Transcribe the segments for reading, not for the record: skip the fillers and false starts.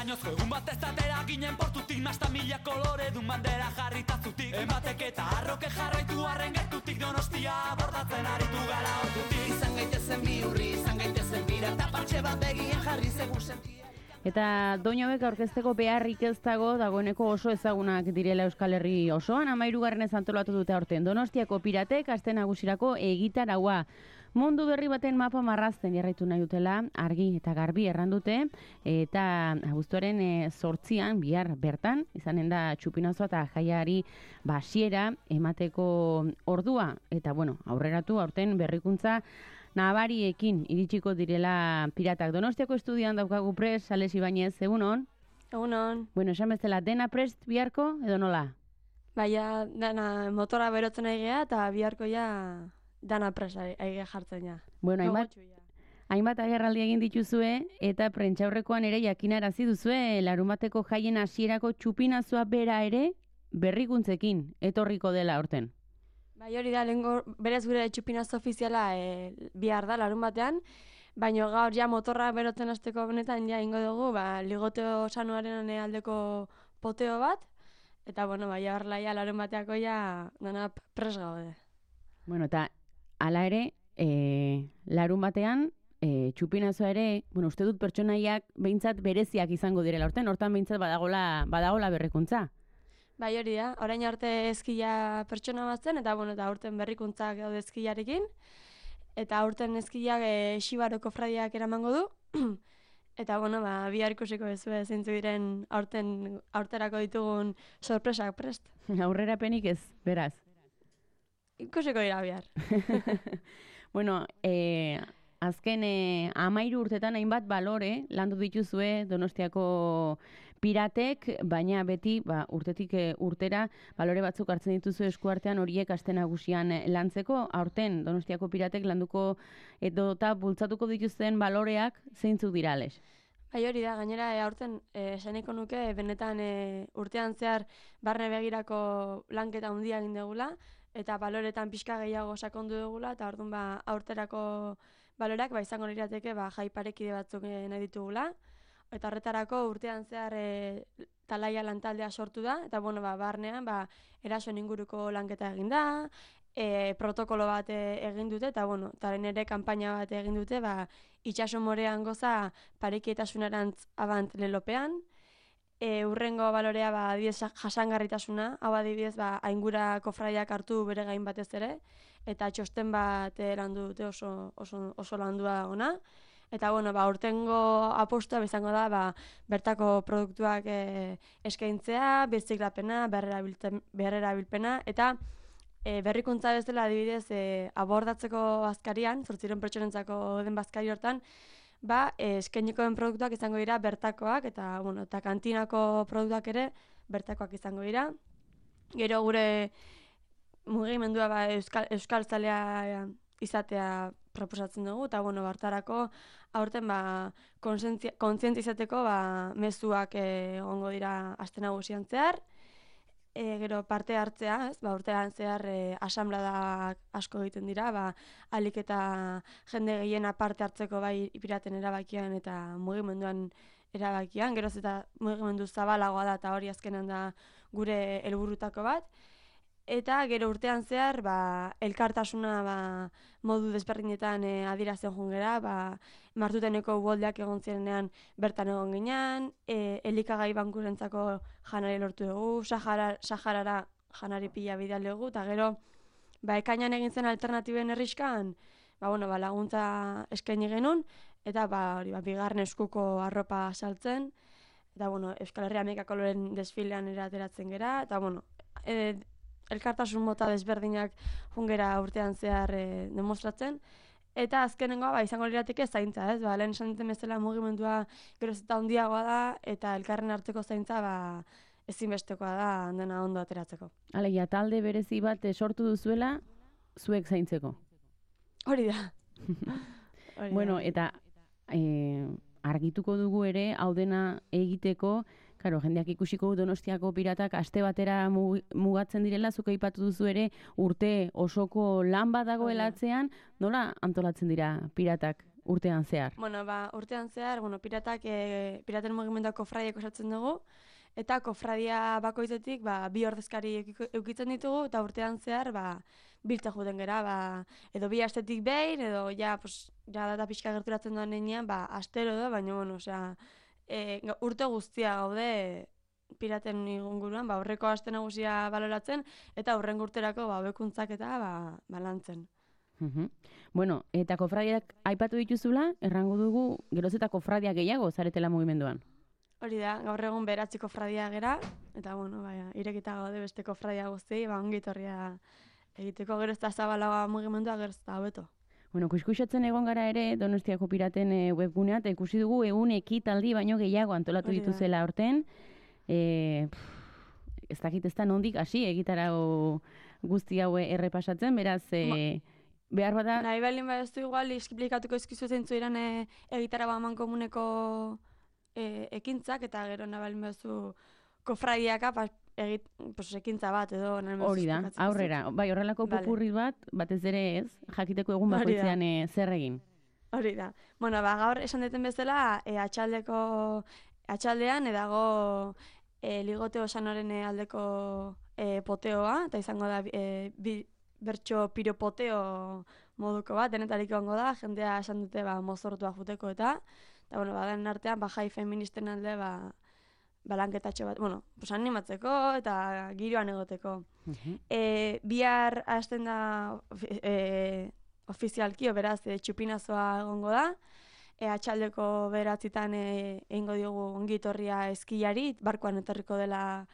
Bainozko egun batez atera ginen portutik, nasta mila kolore dun bandera jarritazutik. Ematek eta arroke jarraitu arren gertutik, Donostia bordatzen aritu gara ordutik. Izan gaitezen bihurri, izan gaitezen bira, eta partxe bat begien jarri segun sentia. Eta doinu hauek aurkezteko beharrik ez dagoeneko oso ezagunak direla Euskal Herri osoan, 13. antolatu dute aurten. Donostiako piratek aste nagusirako egitaraua. Mundu berri baten mapa marrazten jarraitu nahi dutela, argi eta garbi errandute, eta abuztuaren 8an bihar bertan, izanen da txupinazoa eta jaiari basiera emateko ordua. Eta bueno, aurreratu aurten berrikuntza nabariekin iritsiko direla piratak. Donostiako estudian daukagu prest, Sales Ibañez, egunon? Egunon. Bueno, esan bezala, dena prest biharko edo nola? Baina, dana motora berotzen aigea eta biharko ja dana prest aigea jartzen ja. Bueno, hainbat agerraldi egin dituzue eta prentxaurrekoan ere jakinarazi duzue larunbateko jaien hasierako txupinazoa bera ere berrikuntzekin etorriko dela aurten. Bai, hori da, lehenko berez gure txupinazo ofiziala bihar da larun batean, baina gaur ja motorra berotzen hasteko benetan ja ingo dugu, ligoteo sanuaren aldeko poteo bat, eta bueno, ja larun bateako ja dana pres gaude. Bueno, eta hala ere, larun batean, txupinazoa ere, bueno, uste dut pertsonaiak behintzat bereziak izango direla hortan behintzat badagola berrikuntza. Bai, hori da, orain arte eskila pertsona batzen, eta bueno, eta aurten berrikuntzak gaude eskilarekin, eta aurten eskilak Xibaroko fradiak eramango du, eta bueno, bihar ikusiko bezue zeintzu diren aurterako ditugun sorpresak prest. Aurrerapenik ez, beraz. Ikusiko dira bihar. Bueno, azken 13 urtetan hainbat balore landu dituzue Donostiako piratek, baina beti urtetik urtera balore batzuk hartzen dituzu eskuartean horiek aste nagusian lantzeko. Aurten Donostiako piratek landuko eta bultzatuko dituzten baloreak zeintzuk dira, Ales? Bai, hori da, gainera aurten esaniko nuke benetan urtean zehar barne begirako lanketa handia egin dugula, eta baloretan pixka gehiago sakondu dugula, eta orduan aurterako baloreak izango lirateke jai parekide batzuk nahi ditugula. Eta horretarako urtean zehar talaia lantaldea sortu da, eta bueno, barnean erasoen inguruko lanketa egin da, protokolo bat egin dute, eta bueno, taren ere kanpaina bat egin dute, itxaso morean goza parekietasunerantz abant lelopean. Urrengo balorea adibidez jasangarritasuna, hau adibidez aingurako fraiak hartu bere gain batez ere, eta txosten bat landu dute oso landua ona. Eta bueno, urtengo apostua izango da bertako produktuak eskaintzea, birziklapena, berrerabilpena, eta berrikuntza bezala adibidez abordatzeko bazkarian, 800 pertsonentzako den bazkari hortan, eskainikoen produktuak izango dira bertakoak, eta bueno, eta kantinako produktuak ere bertakoak izango dira. Gero gure mugimendua euskal zalea izatea proposatzen dugu, eta bueno, hartarako aurten kontzientizateko mezuak egongo dira aste nagusian zehar. Gero parte hartzea, urtean zehar asanbladak asko egiten dira, ahalik eta jende gehiena parte hartzeko piraten erabakian eta mugimenduan erabakian, geroz eta mugimendu zabalagoa da eta hori azkenan da gure helburutako bat. Eta gero urtean zehar, elkartasuna modu desberdinetan adierazten jungera, Martuteneko uholdeak egon zirenean bertan egon ginean, elikagai bankurentzako janari lortu dugu, Saharara janari pila bidal dugu, eta gero, ekainan egin zen alternatiben herriskan, laguntza eskaini genuen, eta bigarren eskuko arropa saltzen, eta Euskal Herria Hamaika koloren desfilean erateratzen gera, eta elkartasun mota desberdinak jungera urtean zehar demostratzen, eta azkenengoa izango lirateke zaintza, ez? Lehen esan duten bezala mugimendua geroz eta handiagoa da, eta elkarren arteko zaintza ezinbestekoa da dena ondo ateratzeko. Alegia, talde berezi bat sortu duzuela, zuek zaintzeko. Hori da. Bueno, eta argituko dugu ere, hau dena egiteko, Karo, jendeak ikusiko Donostiako piratak aste batera mugatzen direla, zuk aipatu duzu ere urte osoko lan bat dagoela atzean, nola antolatzen dira piratak urtean zehar? Bueno, urtean zehar, piraten mugimenduak kofradiak osatzen dugu, eta kofradia bakoitzetik bi ordezkari eukitzen ditugu, eta urtean zehar biltza juten gera, edo bi astetik behin, edo ja data pixka gerturatzen doan nenean, astero edo, baina, bueno, urte guztia gaude piraten inguruan, horreko aste nagusia baloratzen, eta hurrengo urterako hobekuntzak eta lantzen. Bueno, eta kofradiak aipatu dituzula, errango dugu geroz eta kofradia gehiago zaretela mugimenduan. Hori da, gaur egun 9 kofradia gera, eta irekita gaude beste kofradia guztiei, ongi etorria egiteko gero ez da zabalagoa mugimendua gero ez da hobeto. Bueno, kuskusatzen egon gara ere Donostiako piraten webgunea, eta ikusi dugu 100 ekitaldi baino gehiago antolatu dituzela aurten. Ez dakit ez da nondik hasi egitarau guzti hau errepasatzen, beraz behar bada... Nahi balin badezu igual esplikatuko izkizu zeintzu iran egitarau amankomuneko ekintzak, eta gero nahi balin badezu kofradiaka ekintza bat edo... Hori da, aurrera. Bai, horrelako popurri batez ere ez, jakiteko egun bakoitzean zer egin. Hori da. Bueno, gaur esan deten bezala, atxaldean edago ligoteo sanoren aldeko poteoa, eta izango da bertso piropoteo moduko bat, denetarik ongo da, jendea esan dute mozortua juteko eta den artean jai feministen alde lanketatxo bat, animatzeko eta giroan egoteko. Bihar hasten da ofizialki, beraz, txupinazoa egongo da, atxaldeko 9 egingo diogu ongitorria eskiari, barkoan etorriko dela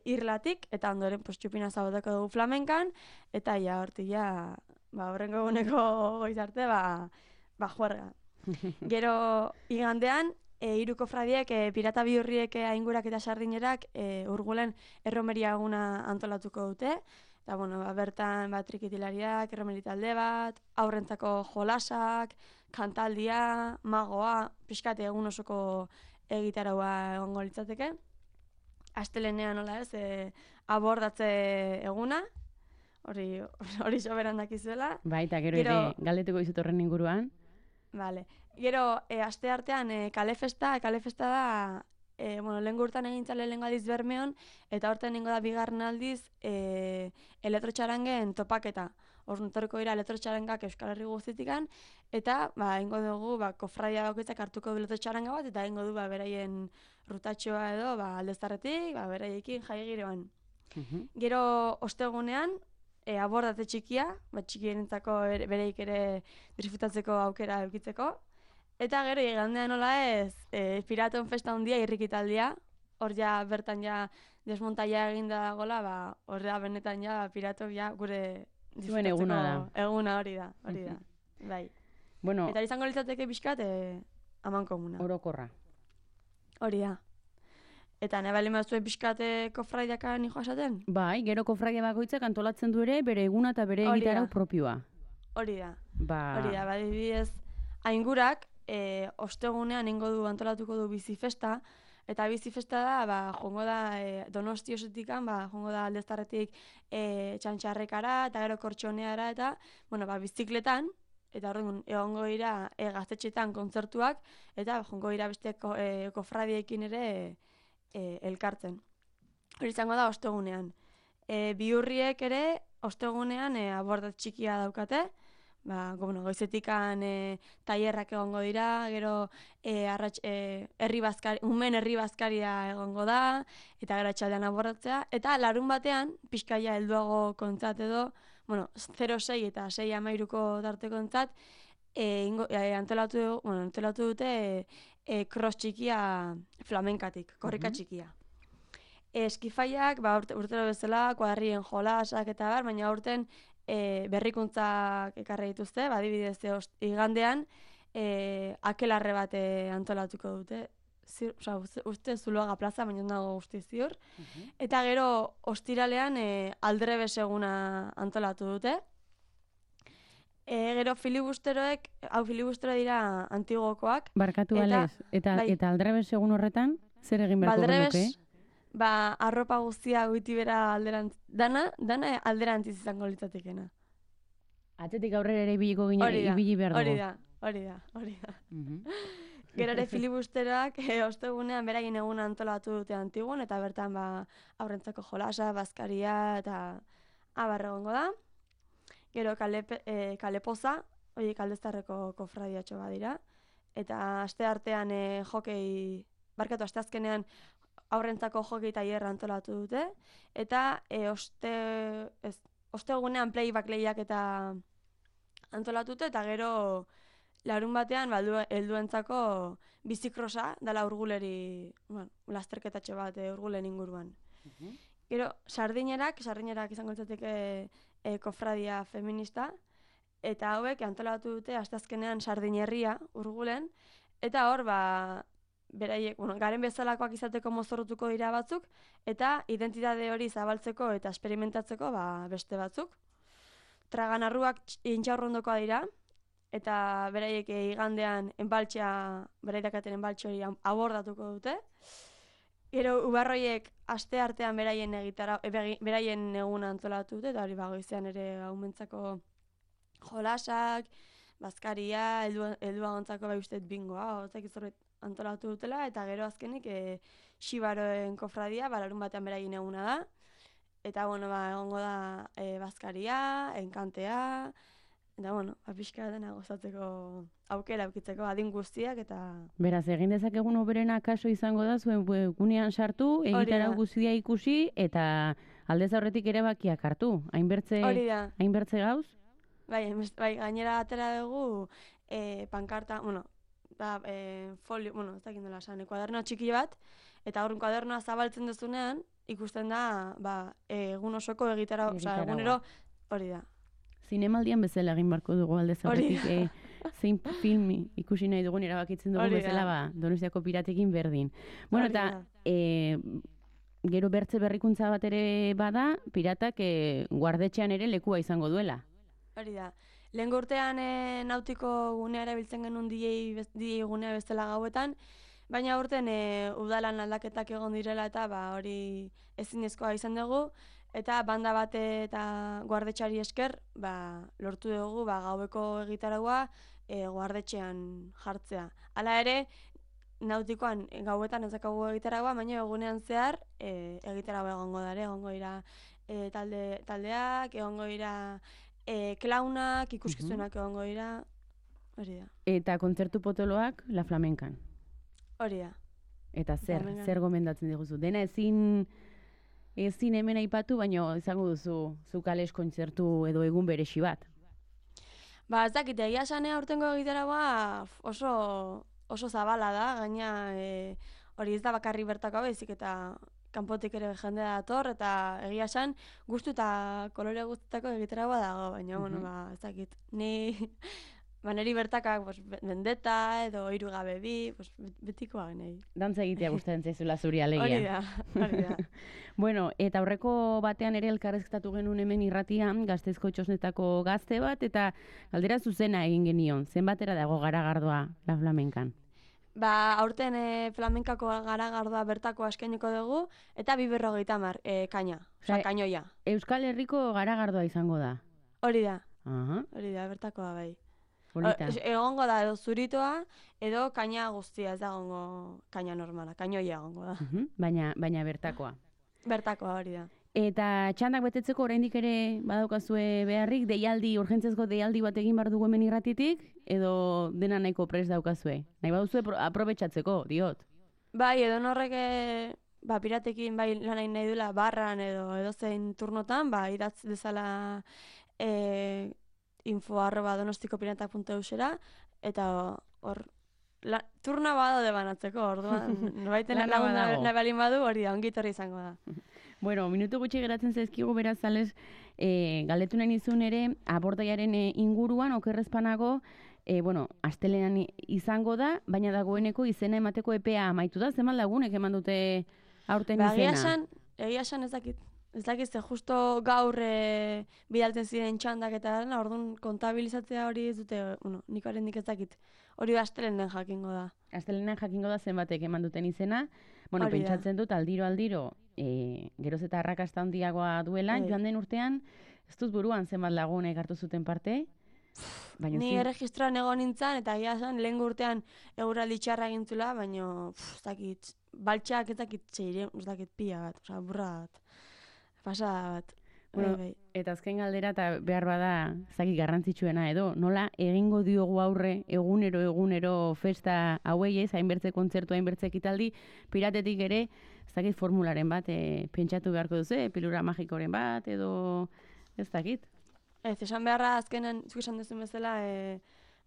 irlatik, eta ondoren txupinazoa boteko dugu flamenkan, eta hortia, horrengo eguneko goiz arte, juerga. Gero igandean, 3 kofradiek, pirata bihurriek aingurak eta sardinerak urgulen erromeria eguna antolatuko dute, eta bertan trikitilariak, erromeri talde bat, aurrentzako jolasak, kantaldia, magoa, pixkate egun osoko egitaraua egongo litzateke. Astelenean nola ez, abordatze eguna, hori soberan dakizuela. Bai, eta gero ere galdetuko dizut horren inguruan. Vale. Gero, aste artean, kalefesta da, lehen gurtan egintzale lehen aldiz Bermeon, eta horten nengo da bigarren aldiz elektrotxarangen topaketa. Ornutoriko dira elektrotxarangak Euskal Herri guztitikan, eta ingo dugu kofradia bakoitzak hartuko du elektrotxaranga bat, eta ingo du beraien rutatxoa edo aldeztarretik, beraiekin jai giroan. Gero ostegunean, abordatze txikia, txikierentzako bereik ere disfrutatzeko aukera eukitzeko, eta gero igandean nola ez, piraton festa handia irrikitaldia, hor bertan desmontaia eginda dagoela, hor benetan pirato gure disfrutatzeko eguna hori da. Bai. Bueno, eta izango litzateke pixkat amankomuna. Orokorra. Hori da. Eta nahi bali mazuen pixkate kofradiaka nijoa esaten? Bai, gero kofradia bakoitzak antolatzen du ere bere eguna eta bere egitarau propioa. Hori da. Hori da, badibidez, aingurak, ostegunean antolatuko du bizifesta, eta bizifesta da, jongo da Donosti osetikan, jongo da aldeztarretik txantxarrekara, eta gero kortxoneara, eta, bizikletan, eta horren egongo dira gaztetxetan kontzertuak, eta jongo dira beste kofradiekin ere elkartzen. Hori izango da ostegunean. Bihurriek ere ostegunean abordat txikia daukate, goizetikan tailerrak egongo dira, gero umen herri bazkaria egongo da, eta gero atxaldean abordatzea, eta larun batean, pixkaia helduago kontzat edo, 0-6 eta 6-13ko tarteko kontzat, antolatu dute cross txikia flamenkatik, korrika txikia. Eskifaiak, urtero bezala, kuadrien jolasak eta baina urten berrikuntzak ekarri dituzte, adibidez igandean akelarre bat antolatuko dute. Uste Zuloaga plaza, baina nago guzti ziur. Eta gero ostiralean aldrebes eguna antolatu dute. Gero filibusteroek, filibustero dira antigokoak. Barkatu alez, eta aldrebes egun horretan, zer egin beharko genuke? Arropa guztia goitibera alderantz, dana alderantziz izango litzatekena. Atzetik aurrera ere ibiliko ginen, ibili behar dugu. Hori da. hori da. Mhm. Gero ere filibusteroak ostegunean beraien eguna antolatu dute Antigon, eta bertan aurrentzako jolasa, bazkaria eta abar egongo da. Gero kalepoza, horiek Aldeztarreko kofradiatxo badira. Eta asteartean asteazkenean aurrentzako hokei tailerra antolatu dute. Eta ostegunean playback lehiak eta antolatu dute, eta gero larun batean helduentzako bizikrosa dela urguleri, lasterketatxo bat urgulen inguruan. Gero sardinerak izango litzateke kofradia feminista, eta hauek antolatu dute asteazkenean Sardinerria urgulen, eta hor beraiek, garen bezalakoak izateko mozorrotuko dira batzuk, eta identitate hori zabaltzeko eta esperimentatzeko beste batzuk. Traganarruak intxaurrondokoa dira, eta beraiek igandean beraidakaten enbaltxe hori abordatuko dute. Gero ubarroiek aste artean beraien eguna antolatu dute, eta hori goizean ere haumentzako jolasak, bazkaria, helduagontzako ustez bingoa, hortzak izorret antolatu dutela, eta gero azkenik Xibaroen kofradia, larun batean beraien eguna da. Eta, egongo da bazkaria, enkantea, eta, pixka dena gozatzeko aukera aukitzeko adin guztiak, eta... Beraz, egin dezakegun oberena kaso izango da, zuen gunean sartu, egitarau guztia ikusi, eta aldez aurretik erabakiak hartu. Hainbertze gauz? Bai, gainera atera dugu pankarta, folio, ez dakit nola esan, kuaderno txiki bat, eta horren kuadernoa zabaltzen duzunean, ikusten da, egun osoko egitarau, egunero, hori da. Zinemaldian bezala egin barko dugu aldez aurretik, zein filmi ikusi nahi dugun erabakitzen dugu bezala, Donostiako piratekin berdin. Bueno, eta gero bertze berrikuntza bat ere bada, piratak guardetxean ere lekua izango duela. Hori da. Lehen urtean nautiko gunea erabiltzen genuen DJ gunea bezala gauetan, baina urten udalan aldaketak egon direla eta hori ezinezkoa izan dugu, eta banda bate eta guardetxari esker lortu dugu gaueko egitaragua guardetxean jartzea. Hala ere, nautikoan gauetan ez dakagu egitaragua, baina egunean zehar egitaragua egongo dara, egongo dira taldeak, egongo dira klaunak, ikuskizunak egongo dira, hori da. Eta kontzertu potoloak La Flamenkan. Hori da. Eta zer gomendatzen diguzu? Dena ezin hemen aipatu, baina izango duzu zu kales kontzertu edo egun beresi bat. Ez dakit, egia esanea aurtengo egitaragoa oso zabala da, gaina hori ez da bakarri bertako baizik eta kanpotik ere jendea dator, eta egia esan gustu eta kolore guztetako egitaragoa dago, baina, ez dakit, niri bertakak Vendetta edo Hiru gabe bi, betikoa nahi. Dantza egitea gustatzen zaizula zuri alegia. Hori da. Bueno, eta aurreko batean ere elkarrezketatu genuen hemen irratian, Gasteizko Txosnetako gazte bat, eta galdera zuzena egin genion. Zenbatera dago garagardoa La Flamenkan? Aurten flamenkako garagardoa bertako askainiko dugu, eta 250 kaina, kainoia. Euskal Herriko garagardoa izango da? Hori da. Hori da, bertakoa bai. Polita. Egongo da edo zuritoa, edo kaina guztia, ez da egongo kaina normala, kainoia egongo da. Baina bertakoa. Bertakoa, hori da. Eta txandak betetzeko oraindik ere badaukazue beharrik, urgentzezko deialdi bat egin behar dugu hemen irratitik, edo dena nahiko prest daukazue? Nahi baduzue aprobetxatzeko, diot? Bai, edo norrek piratekin lan nahi duela barran edo zein turnotan, idatz dezala info@donostikopirantak.eusera, eta hor turna badaude banatzeko, orduan, nobaiten nahi balin badu, hori da, ongitorri izango da. Bueno, minutu gutxi geratzen zaizkigu beraz, ales, galdetu nahi nizun ere, abordaiaren inguruan, okerrezpanago, astelenan izango da, baina dagoeneko izena emateko epea amaitu da, zeman lagunek eman dute aurten izena? Egia esan ez dakit. Ez dakit, justo gaur bidaltzen ziren txandak eta orduan kontabilizatzea hori ez dute, nik oraindik ez dakit. Hori astelenen jakingo da. Astelenen jakingo da zenbatek eman duten izena. Bueno, pentsatzen dut aldiro, geroz eta arrakasta handiagoa duela, joan den urtean, ez dut buruan zenbat lagunek hartu zuten parte? Baina Ni erregistroan egon nintzen, eta egia zen, lehen urtean eguraldi txarra egintzula, baina, ez dakit, baltxak ez dakit txeire, ez dakit pila bat, oza, burra bat, pasada bat. Bueno, eta azken galdera, eta behar bada, zaki garrantzitsuena edo, nola egingo diogu aurre egunero festa hauei ez, hainbertze kontzertu, hainbertze ekitaldi, piratetik ere, zaki formularen bat, pentsatu beharko duzu, pilura magikoren bat, edo ez dakit. Ez, esan beharra azkenen, zuk esan duzun bezala,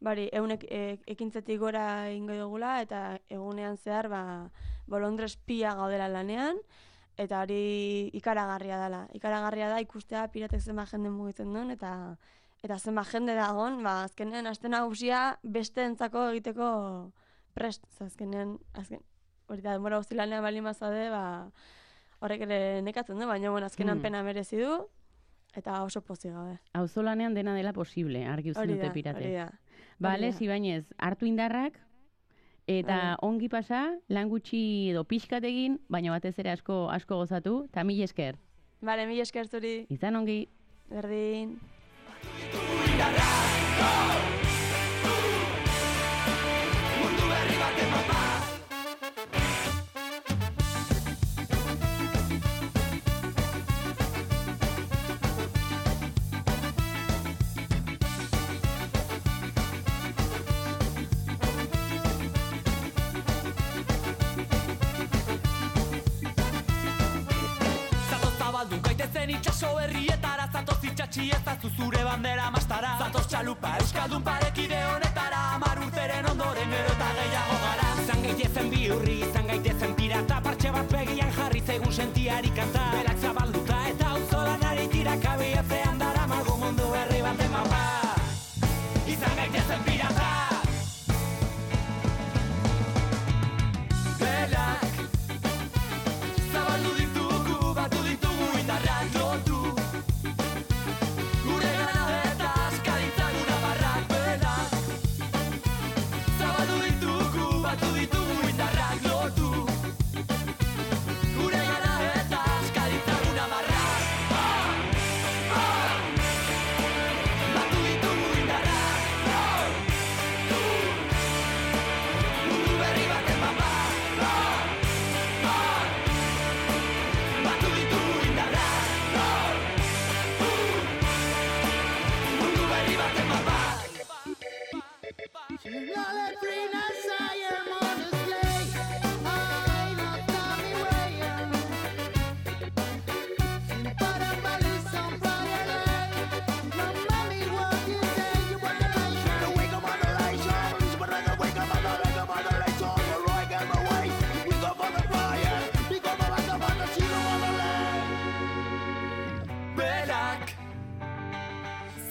ekintzetik gora ingo dugula, eta egunean zehar, bolondrez pia gaudela lanean, eta hori ikaragarria dela. Ikaragarria da ikustea piratek zenba jende mugitzen duen, eta zenba jende dagoen, azkenean aste nagusia besteentzako egiteko prest. Azkenean, hori da, denbora guzti lanean baldin bazaude, horrek ere nekatzen du, baina azkenean pena merezi du, eta oso pozik gaude. Auzolanean dena dela posible, argi uzten dute piratek. Hori da. Bale, Ibañez, hartu indarrak, eta ongi pasa, lan gutxi edo pixkat egin, baina batez ere asko gozatu, eta mil esker. Bale, mil esker zuri. Izan ongi. Berdin. Mundu berri baten mapa. Itxaso berrietara, zatoz itxatxi ezazu zure bandera mastara. Zatoz txalupa euskaldun parekide honetara, 10 urteren ondoren gero eta gehiago gara. Izan gaitezen bihurri, izan gaitezen pirata, partxe bat begian jarri zegun sentiari kanta. Belak zabalduta eta auzolanari tirakabi ezean dara mago mundu berri baten mapa. Izan gaitezen pirata. Belak zabaldu ditugu, batu ditugu indarrak.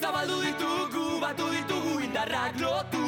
Zabaldu ditugu, batu ditugu indarrak lotu.